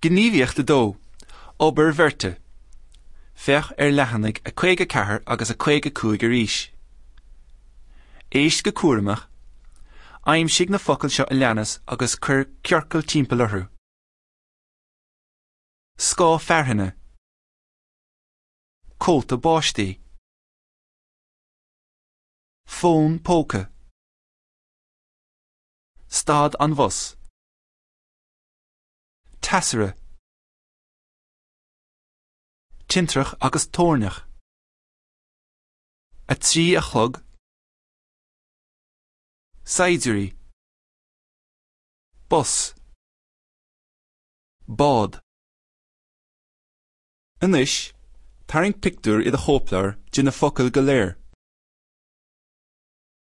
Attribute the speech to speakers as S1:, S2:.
S1: Gníomhaíocht 2, Obair Bheirte. Féach ar leathanaigh 54 agus 55 arís. Éist go cúramach. Aimsigh na focail seo a leanas agus cuir ciorcal timpeall orthu. Scáth fearthainne. Cóta báistí. Fón póca. Stad an bhus. Teasaire. Tintreach agus toirneach. 3 a chlog. Saighdiúirí. Bus. Bád. Anois, tarraing pictiúr i do chóipleabhar de na focail go léir.